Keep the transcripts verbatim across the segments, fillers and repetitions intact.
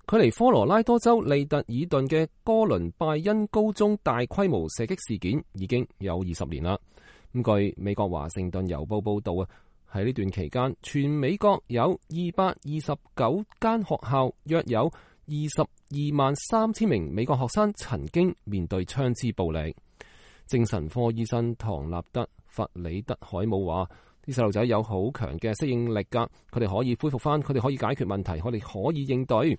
距離科羅拉多州利特爾頓嘅哥倫拜恩高中大規模射擊事件已經有二十年啦。咁據美國華盛頓郵報報道啊，喺呢段期間，全美國有二百二十九間學校，約有二十二萬三千名美國學生曾經面對槍支暴力。精神科醫生唐納德·弗里德海姆話：啲細路仔有好強嘅適應力噶，佢哋可以恢復翻，佢哋可以解決問題，佢哋可以應對。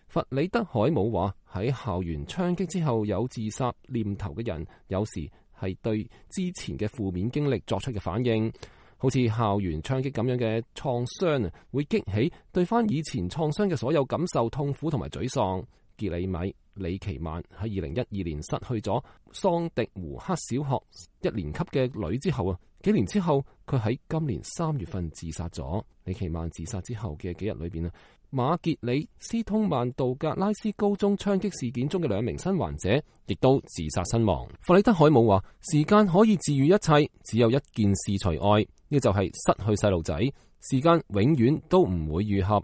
弗里德海姆話：喺校園槍擊之後有自殺念頭嘅人，有時係對之前嘅負面經歷作出嘅反應，好似校園槍擊咁樣嘅創傷啊，會激起對翻以前創傷嘅所有感受、痛苦同埋沮喪。傑里米李奇曼喺二零一二年失去咗桑迪胡克小學一年級嘅女之後啊，幾年之後佢喺今年三月份自殺咗。李奇曼自殺之後嘅幾日裏邊啊，馬傑里斯通曼道格拉斯高中槍擊事件中嘅兩名生還者亦都自殺身亡。弗里德海姆話：時間可以治愈一切，只有一件事除外，呢就係失去細路仔。時間永遠都唔會愈合，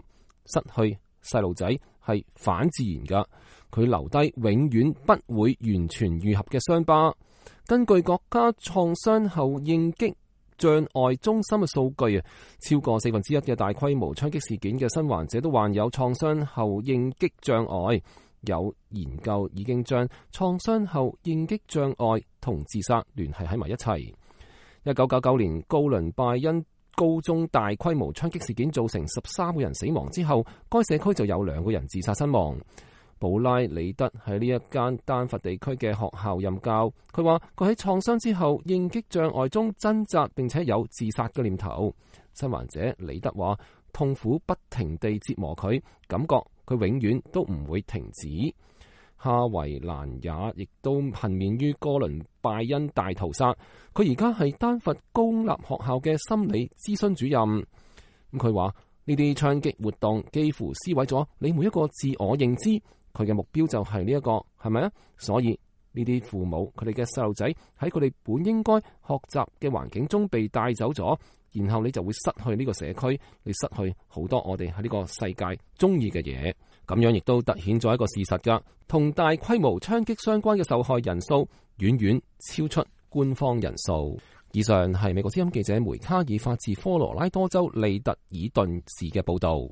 失去細路仔係反自然噶，佢留低永遠不會完全愈合嘅傷疤。根據國家創傷後應激障礙中心嘅數據啊，超過四分之一嘅大規模槍擊事件嘅生還者都患有創傷後應激障礙。有研究已經將創傷後應激障礙同自殺聯繫喺埋一齊。一九九九年哥倫拜恩高中大規模槍擊事件造成十三個人死亡之後，該社區就有兩個人自殺身亡。布拉里德喺呢一間丹佛地區嘅學校任教，佢話佢喺創傷之後應激障礙中掙扎，並且有自殺嘅念頭。生還者里德話，痛苦不停地折磨佢，感覺佢永遠都唔會停止。哈維蘭也亦都幸免於哥倫拜恩大屠殺，佢而家係丹佛公立學校嘅心理諮詢主任。咁佢話呢啲槍擊活動幾乎撕毀咗你每一個自我認知，佢嘅目標就係呢一個，係咪啊？所以呢啲父母佢哋嘅細路仔喺佢哋本應該學習嘅環境中被帶走咗，然後你就會失去呢個社區，你失去好多我哋喺呢個世界中意嘅嘢。咁樣亦都凸顯咗一個事實噶，同大規模槍擊相關嘅受害人數遠遠超出官方人數。以上係美國之音記者梅卡爾發自科羅拉多州利特爾頓市嘅報道。